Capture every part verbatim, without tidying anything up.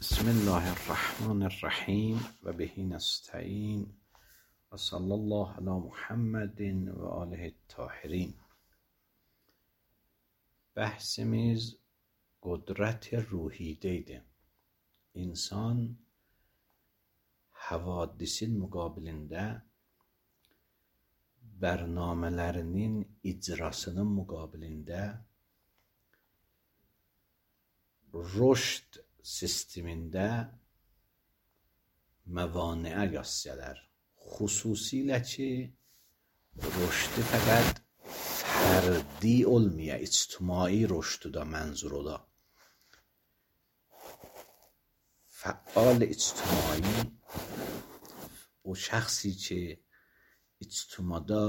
بسم الله الرحمن الرحیم و به نستعین و صلی الله علی محمد و آله الطاهرین. Bəhsimiz qudrət ruhi deydi. İnsan havadisin müqabilində bərnamələrinin icrasının müqabilində rüşd sistemində məvaniə yassələr. Xüsusilə ki, rüşdü fəqət fərdi olmaya, ictimai rüşdü da mənzur ola. فعال اجتماعی o şəxsi ki ictimada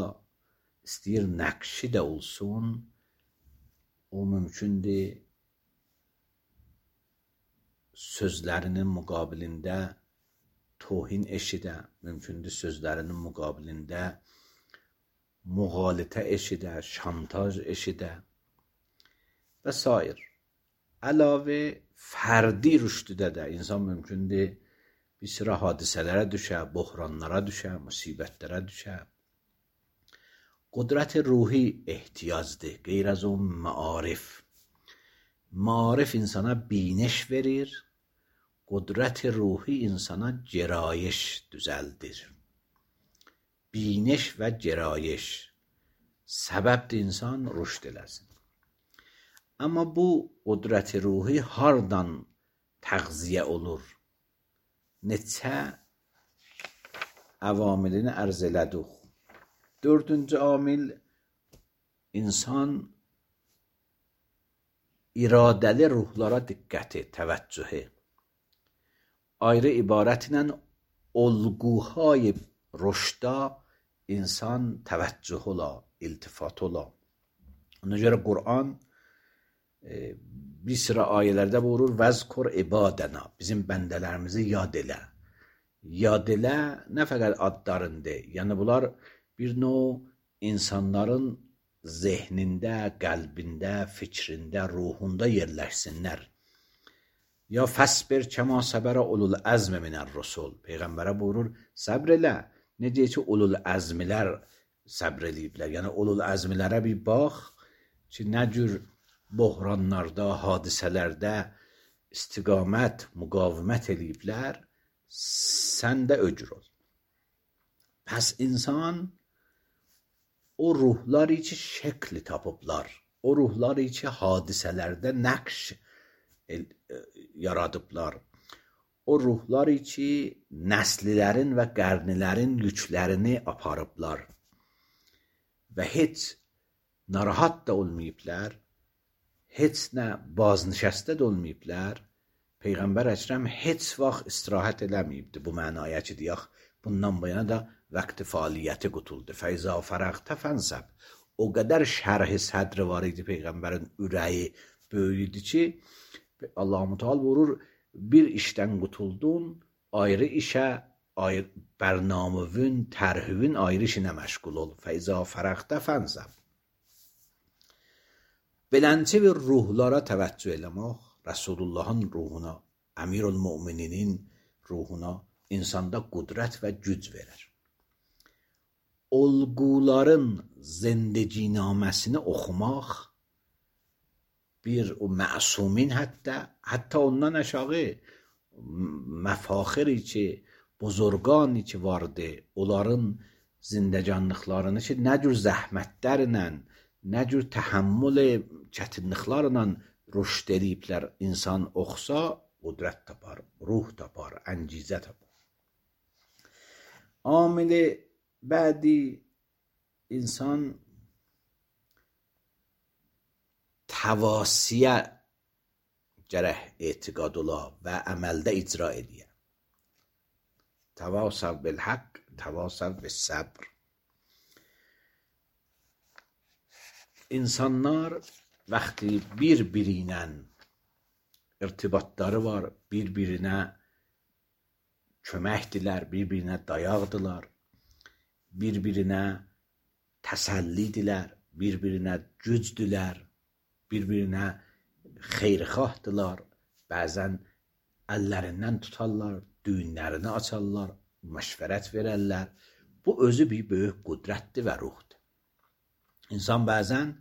istəyir nəqşi də olsun, o mümkündür sözlərinin müqabilində tohin eşidə, mümkündür sözlərinin müqabilində müğalitə eşidə, şantaj eşidə və s. Əlavə fərdi rüşdüdə də insan mümkündür bir sıra hadisələrə düşə, böhranlara düşə, müsibətlərə düşə. Qudrət ruhi ehtiyacdır, qeyr az o maarif. Maarif insana biniş verir, qudrət ruhi insana gerayiş düzəldir. Biniş və gerayiş səbəbdir insan rüşd eləsin. Amma bu qudrət ruhi hardan təğziyə olur? Neçə əvamilini ərz elədik. Dördüncü amil insan iradəli ruhlara diqqəti, təvəccühü. Ayrı ibarətlə olguhay rüşda insan təvəccüh ola, iltifat ola. Ona görə Qur'an e, bir sıra ayələrdə buyurur, vəzkur ibadəna, bizim bəndələrimizi yad elə. Yad elə nə fəqət adlarında, yəni bunlar bir növ insanların zehnində, qəlbində, fikrində, ruhunda yerləşsinlər. Ya fəsbir kəma səbərə ulul əzmi minər rusul. Peyğəmbərə buyurur, səbr elə. Necə ki, ulul əzmilər səbr eləyiblər. Yəni, ulul əzmilərə bir bax ki, nə cür böhranlarda, hadisələrdə istiqamət, müqavimət eləyiblər, sən də öcür ol. Pəs insan o ruhları ki şəkli tapıblar, o ruhları ki hadisələrdə nəqş yaradıblar, o ruhları ki nəslilərin və qərnilərin yüklərini aparıblar və heç narahat da olmayıblar, heç nə baznişəstə də olmayıblar. Peyğəmbər Əkrəm heç vaxt istirahət eləməyibdi bu mənaya ki, deyək, bundan bu yana da vəqti fəaliyyəti qutuldu. Fəizə fərəqtə fənsəb. O qədər şərh-i sədri var idi Peyğəmbərin ürəyi böyüydü ki, Allah-u Teala vurur, bir işdən qutuldun, ayrı işə, ayrı, bərnamövün, tərhüvün ayrı işinə məşğul ol. Fəizə fərəqtə fənsəb. Beləncə bir ruhlara təvəccüh eləmək, Rəsulullahın ruhuna, Əmirül Mömininin ruhuna insanda qudrət və güc verir. Olguların zindəginaməsini oxumaq, bir o məsumin hətta, hətta ondan aşağı məfaxiri ki, buzurqani ki vardı, onların zindəcanlıqlarını ki, nə cür zəhmətlərlə, nə cür təhəmmül çətinliklərlə rüşd ediblər, insan oxusa, qudrət tapar, ruh tapar, əncizə tapar. Amili bədi insan təvasiyə gərək etiqad ola və əməldə icra ediyə. Təvasəv bil-haqq, təvasəv bil-səbr. İnsanlar vaxtı bir-biri ilə irtibatları var, bir-birinə köməkdilər, bir-birinə dayaqdılar, bir-birinə təsəllidirlər, bir-birinə gücdülər, bir-birinə xeyrxahdılar, bəzən əllərindən tutarlar, düyünlərini açarlar, məşvərət verərlər. Bu özü bir böyük qüdrətdir və ruhdur. İnsan bəzən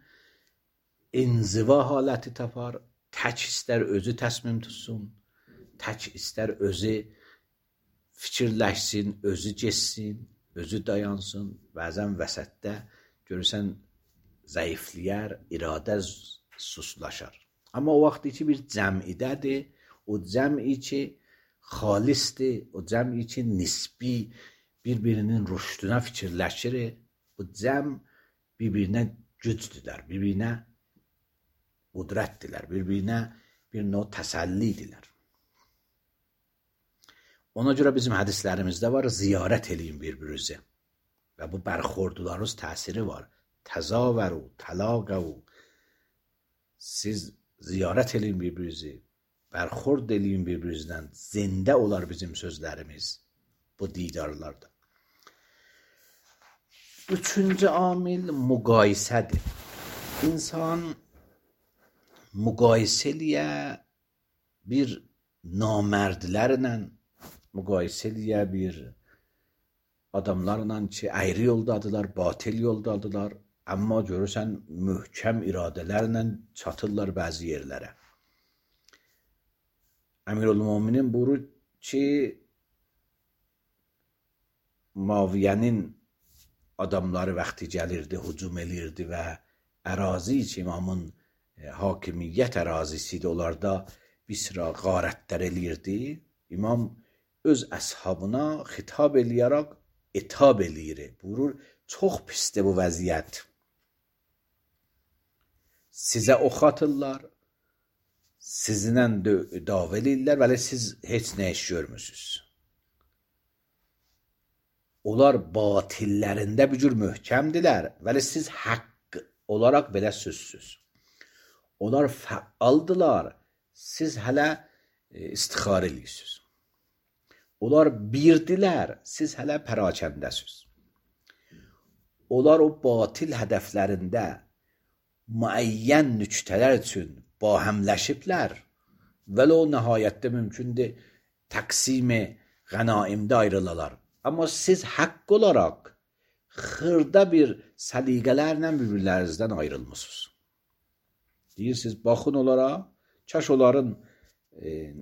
inziva haləti tapar, tək istər özü təsmim tutsun, tək istər özü fikirləşsin, özü geçsin, özü dayansın. Bəzən vəsətdə görürsən zəifləyər, iradə suslaşar. Amma o vaxtı ki bir cəmidədir, o cəmi ki xalisdir, o cəmi ki nisbi bir-birinin rüşdünə fikirləşir, bu cəm bir-birinə gücdülər, bir-birinə qudrətdilər, bir-birinə bir növ təsəllidirlər. Ona görə bizim hədislərimizdə var, ziyarət eləyin bir-birinizi və bu bərxordularınız təsiri var. Təzavəru, tələqəvu. Siz ziyarət eləyin bir-birinizi, bərxord eləyin bir-birinizdən. Zində olar bizim sözlərimiz bu didarlarda. Üçüncü amil müqayisədir. İnsan müqayisə eləyə bir namərdlərlə, müqayisə eləyə bir adamlarla ki, əyri yoldadılar, batil yoldadılar, amma görürsən möhkəm iradələrlə çatırlar bəzi yerlərə. Əmirul-Möminin buyurur ki, Muaviyyənin adamları vaxtı gəlirdi, hücum elirdi və ərazi ki, imamın hakimiyyət ərazisidir, onlarda bir sıra qarətlər elirdi. İmam öz əshabına xitab eləyərək etab eləyir. Buyurur, çox pisdir bu vəziyyət. Sizə ox atırlar, sizinlə dava eləyirlər, vəli siz heç nə iş görmürsünüz. Onlar batillərində bir cür möhkəmdilər, vəli siz haqq olaraq belə sözsüz. Onlar fəaldılar, siz hələ istixarə eləyirsiniz. Onlar birdilər, siz hələ pərakəndəsiz. Onlar o batil hədəflərində müəyyən nüktələr üçün bahəmləşiblər, vəli o nəhayətdə mümkündür təqsimi qənaimdə ayrılalar. Amma siz haqq olaraq xırda bir səliqələrlə bir-birlərinizdən ayrılmısınız. Deyirsiniz, baxın onlara, kaş onların e,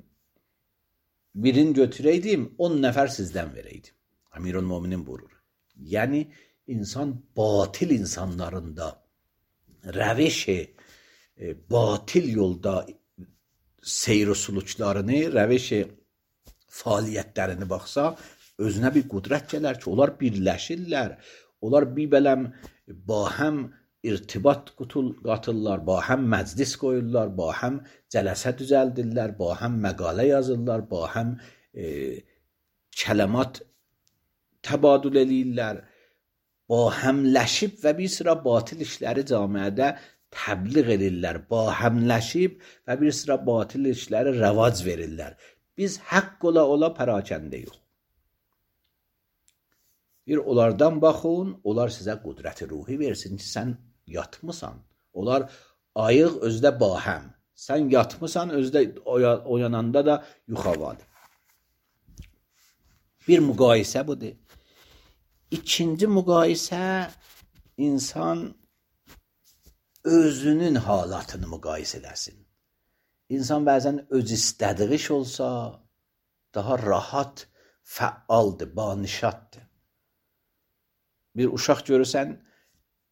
birini götürəydim, on nəfər sizdən verəydim. Əmirul-Möminin buyurur. Yəni, insan batil insanlarında rəveşi, e, batil yolda seyr-i suluçlarını, rəveşi fəaliyyətlərini baxsa, özünə bir qudrət gələr ki, onlar birləşirlər, onlar bir bələm bahəm irtibat qatırlar, bahəm məclis qoyurlar, bahəm cələsə düzəldirlər, bahəm məqalə yazırlar, bahəm e, kələmat təbadül eləyirlər, bahəmləşib və bir sıra batil işləri camiədə təbliğ edirlər, bahəmləşib və bir sıra batil işləri rəvac verirlər. Biz haqq ola ola pərakəndə yox. Bir onlardan baxın, onlar sizə qudrəti ruhi versin ki, sən yatmısan. Onlar ayıq özdə bahəm. Sən yatmısan, özdə oyananda da yuxavadır. Bir müqayisə budur. İkinci müqayisə, insan özünün halatını müqayisə eləsin. İnsan bəzən öz istədiği iş olsa, daha rahat, fəaldır, banişatdır. Bir uşaq görürsən,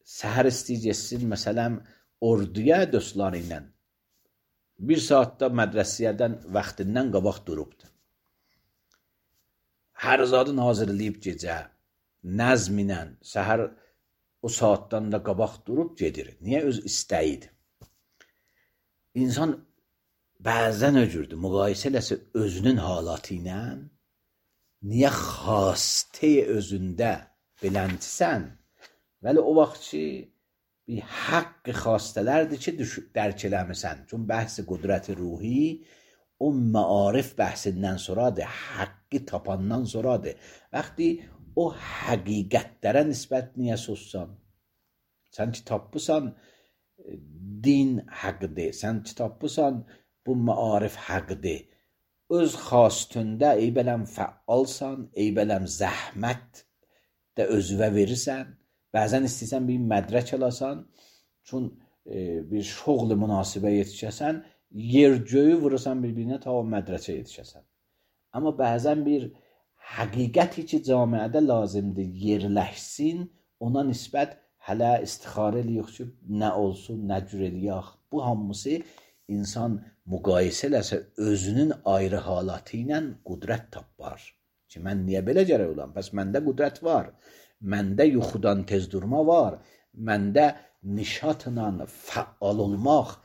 səhər istəyəcəksin, məsələn, orduya dostları ilə. Bir saatda mədrəsiyyədən, vaxtindən qabaq durubdur. Hər zadın hazırlayıb gecə, nəzm ilə, səhər o saatdan da qabaq durub gedir. Niyə? Öz istəyidir. İnsan bəzən öcürdür, müqayisə eləsə özünün halatı ilə, niyə xastə özündə biləntisən, vəli o vaxt ki, bir haqq xastələrdir ki, dərk eləmisən. Çün bəhsi qudrəti ruhi, o məarif bəhsindən sonradır, haqqı tapandan sonradır. Vəxti o həqiqətlərə nisbət niyə sussan? Sən ki, tapısan, din haqqdır, sən ki, tapısan, bu məarif haqqdır. öz xastında ey beləm fəalsan, ey beləm zəhmət də özünə verirsən. Bəzən istəyirsən bir mədrək alasan, çün e, bir şoğlu münasibə yetişəsən, yer göyü vurursan bir-birinə ta o mədrəcə yetişəsən. Amma bəzən bir həqiqəti ki camiədə lazımdır yerləşsin, ona nisbət hələ istixarə eləyək ki, nə olsun, nə cür eləyək. Bu hamısı insan müqayisə eləsə özünün ayrı halatı ilə qüdrət tapar. Ki, mən niyə belə gərək olam? Bəs məndə qüdrət var. Məndə yuxudan tez durma var. Məndə nişatla fəal olmaq,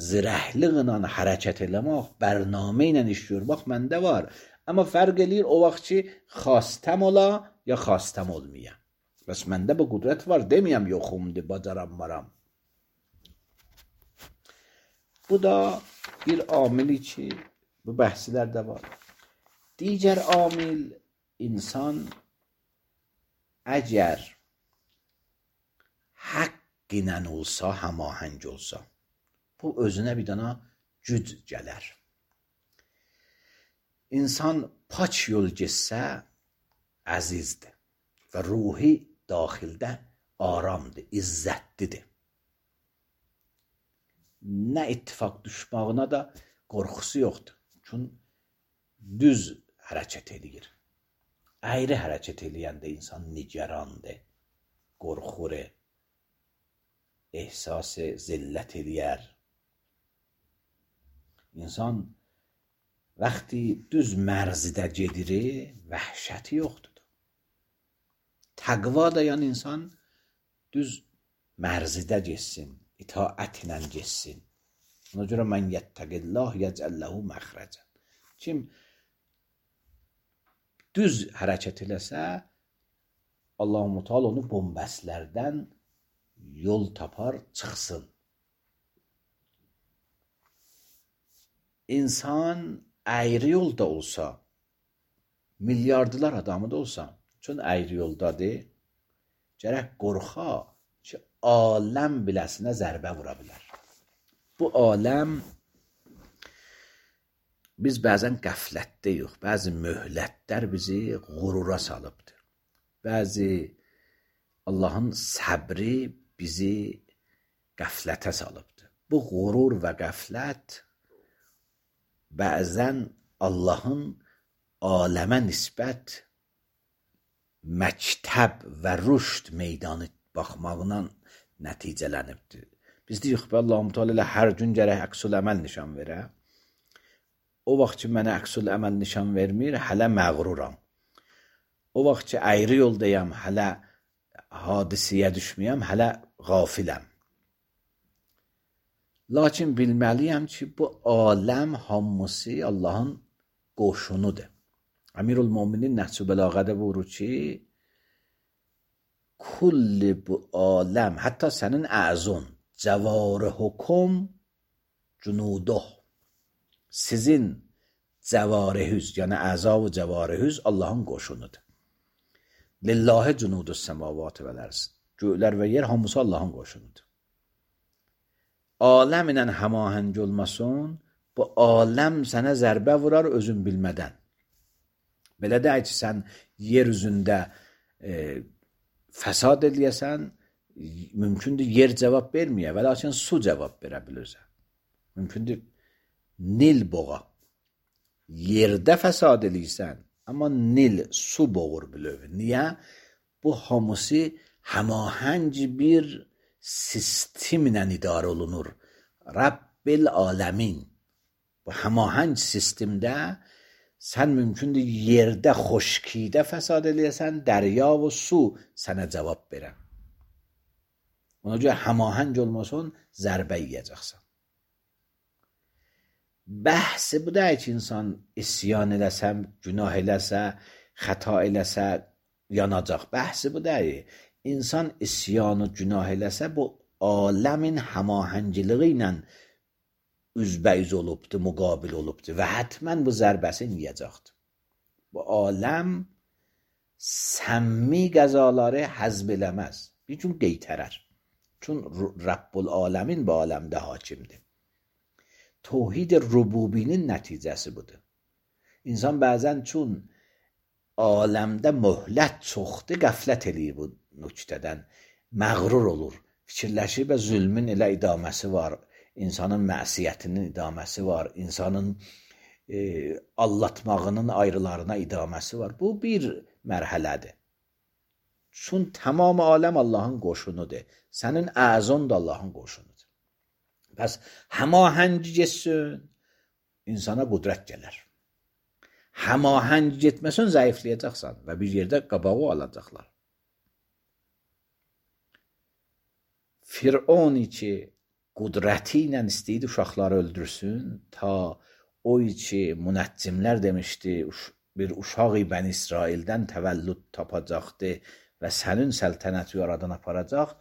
zirəhliqlə hərəkət eləmək, bərnamə ilə iş görmək məndə var. Amma fərq eləyir o vaxt ki, xastəm ola ya xastəm olmaya. Bəs məndə bu qüdrət var, deməyəm yoxumdur, bacaram varam. Bu da bir amili ki, bu bəhslərdə var. Digər amil, insan əgər haqq ilə olsa, həmahəng olsa, bu özünə bir dana güc gələr. İnsan paç yol getsə əzizdir və ruhi daxildə aramdır, izzətlidir. Nə ittifaq düşmağına da qorxusu yoxdur. Çünki düz hərəkət edir. Əyri hərəkət eləyəndə insan nigarandır, qorxur, ehsas zillət eləyər. İnsan vaxtı düz mərzidə gedir, vəhşəti yoxdur. Təqva dayan insan düz mərzidə getsin, itaətlə getsin. Ona görə mən yəttəqillah yəcəlləhu məxrəcən. Kim düz hərəkət eləsə, Allah-u Teala onu bombəslərdən yol tapar, çıxsın. İnsan əyri yolda olsa, milyardılar adamı da olsa, çünki əyri yoldadır, gərək qorxa ki, aləm biləsinə zərbə vura bilər. Bu aləm biz bəzən qəflətdəyik, bəzi möhlətlər bizi qurura salıbdır. Bəzi Allahın səbri bizi qəflətə salıbdır. Bu qurur və qəflət bəzən Allahın aləmə nisbət məktəb və rüşd meydanı baxmağından nəticələnibdir. Biz deyik ki, Allah-u Teala ilə hər gün gərək əksül əməl nişan verə. O vaxt ki, mənə əksül əməl nişan vermir, hələ məğruram. O vaxt ki, əyri yoldayam, hələ hadisiyə düşməyəm, hələ qafiləm. Lakin bilməliyəm ki, bu aləm hamısı Allahın qoşunudur. Əmirül-Möminin Nəhcü Bəlağədə buyurur ki, kulli bu aləm, hətta sənin əzun, cəvarihükum cunuduh, sizin cəvarihüz, yəni əza və cəvarihüz Allahın qoşunudur. Lillahi cunudus səmavatı vəl-ərz. Göylər və yer hamısı Allahın qoşunudur. Aləm ilə həmahəng olmasın, bu aləm sənə zərbə vurar özün bilmədən. Belə deyək ki, sən yer üzündə e, fəsad eləyəsən, mümkündür yer cavab verməyə və lakin su cavab verə bilirsən. Mümkündür Nil boğa. Yerdə fəsad eləyirsən, amma Nil su boğur bilöv. Niyə? Bu hamısı həmahəng bir sistemlə idarə olunur. Rabbil aləmin. Bu həmahəng sistemdə sən mümkündür yerdə xoşkidə fəsad eləyəsən, dərya və su sənə cavab verən. Ona görə həmahəng olmasın, zərbə yiyəcəksən. Bəhsi bu deyil ki, insan isyan eləsə, günah eləsə, xəta eləsə, yanacaq. Bəhsi bu deyil. İnsan isyanı günah eləsə, bu aləmin həmahəngiliği ilə üzbəüz olubdur, müqabil olubdur və hətmən bu zərbəsini yiyəcəkdir. Bu aləm səmmi qəzaları həzb eləməz. Bir gün qeytərər. Çünki Rabbul aləmin bu aləmdə hakimdir. Tevhid rububinin nəticəsi budur. İnsan bəzən çün aləmdə möhlət çoxdur, qəflət eləyir bu nöqtədən, məğrur olur, fikirləşir və zülmün elə idaməsi var, insanın məsiyyətinin idaməsi var, insanın e, allatmağının ayrılarına idaməsi var. Bu bir mərhələdir. Çün tamam aləm Allahın qoşunudur. Sənin əzon da Allahın qoşunudur. Bəs həmahəng getsin, insana qudrət gələr. Həmahəng getməsən zəifləyəcəksən və bir yerdə qabağı alacaqlar. Firon ki qudrəti ilə istəyirdi uşaqları öldürsün, ta o ki münəccimlər demişdi, bir uşaq Bəni İsraildən təvəllüd tapacaqdı və sənin səltənəti yaradan aparacaq,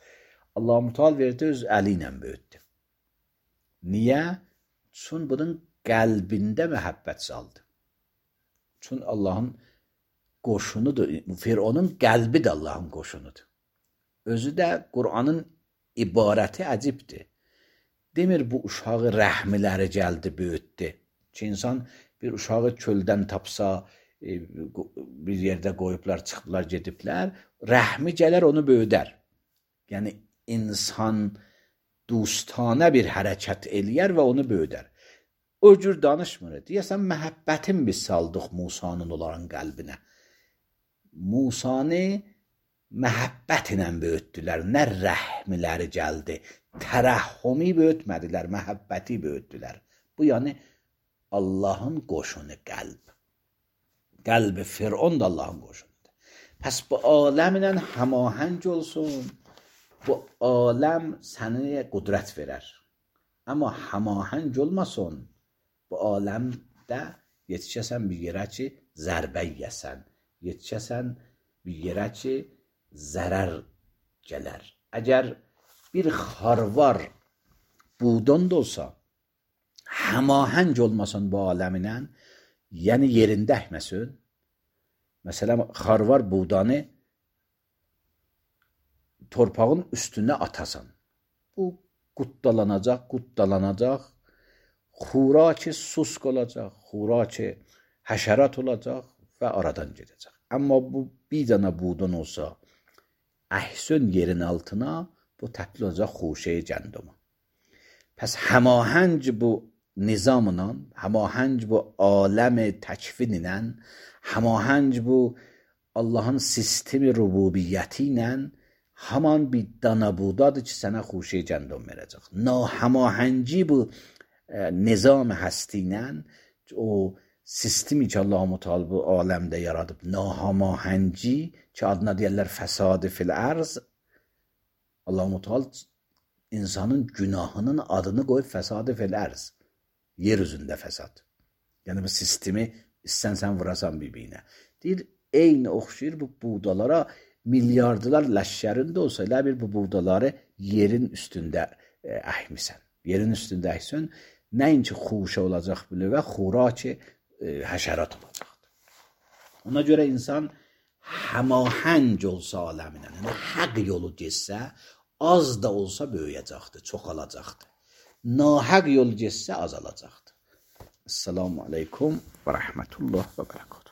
Allah-u Teala verdi, öz əli ilə böyütdü. Niyə? Çün bunun qəlbində məhəbbət saldı. Çün Allahın qoşunudur. Fironun qəlbi də Allahın qoşunudur. Özü də Qur'anın ibarəti əcibdir. Demir bu uşağı rəhmiləri gəldi, böyütdü. Ki insan bir uşağı çöldən tapsa, bir yerdə qoyublar, çıxıblar, gediblər, rəhmi gələr onu böyüdər. Yəni insan dostanə bir hərəkət eləyər və onu böyüdər. O cür danışmır. Deyəsən, məhəbbətin biz saldıq Musanın onların qəlbinə. Musanı məhəbbət ilə böyütdülər. Nə rəhmiləri gəldi. Tərəhhumi böyütmədilər, məhəbbəti böyütdülər. Bu, yəni, Allahın qoşunu qəlb. Qəlbi Firon da Allahın qoşunudur. Pəs bu aləmlə həmahəng olsun, bu aləm sənə qudrət verər. Amma həmahəng olmasın, bu aləmdə yetişəsən bir yerə ki, zərbə yiyəsən, yetişəsən bir yerə ki, zərər gələr. Əgər bir xarvar buğdan da olsa, həmahəng olmasın bu aləminə, yəni yerində əkməsin, məsələn, xarvar buğdanı torpağın üstünə atasan, bu qutdalanacaq, qutdalanacaq, xura ki susk olacaq, xura ki həşərat olacaq və aradan gedəcək. Amma bu bir dənə buğdan olsa, əhsən yerin altına, bu təbdil olacaq xuşəyi gənduma. Pəs həmahəng bu nizamla, həmahəng bu aləm təkvin ilə, həmahəng bu Allahın sistemi rububiyyəti ilə, haman bir dana buğdadır ki, sənə xuşəyi gəndum verəcək. Nahəmahəngi bu e, nizam həsti ilə, o sistemi ki, Allah-u Teala bu aləmdə yaradıb, nahəmahəngi ki, adına deyərlər fəsadı fil ərz, Allah-u Teala insanın günahının adını qoyub fəsadı fil ərz, yer üzündə fəsad. Yəni bu sistemi istənsən vurasan bir-birinə. Deyir, eyni oxşayır bu buğdalara, milyardılar ləşkərində olsa, elə bir bu buğdaları yerin üstündə e, əhmisən. Yerin üstündə əhsən, nəinki xuşə olacaq bilir və xura ki e, həşərat olacaqdır. Ona görə insan həmahəng olsa aləminə, yəni həq yolu getsə, az da olsa böyüyəcəkdir, çoxalacaqdır. Nahəq yol getsə azalacaqdır. Esselamu aleykum və rəhmətullah və bərəkatuhu.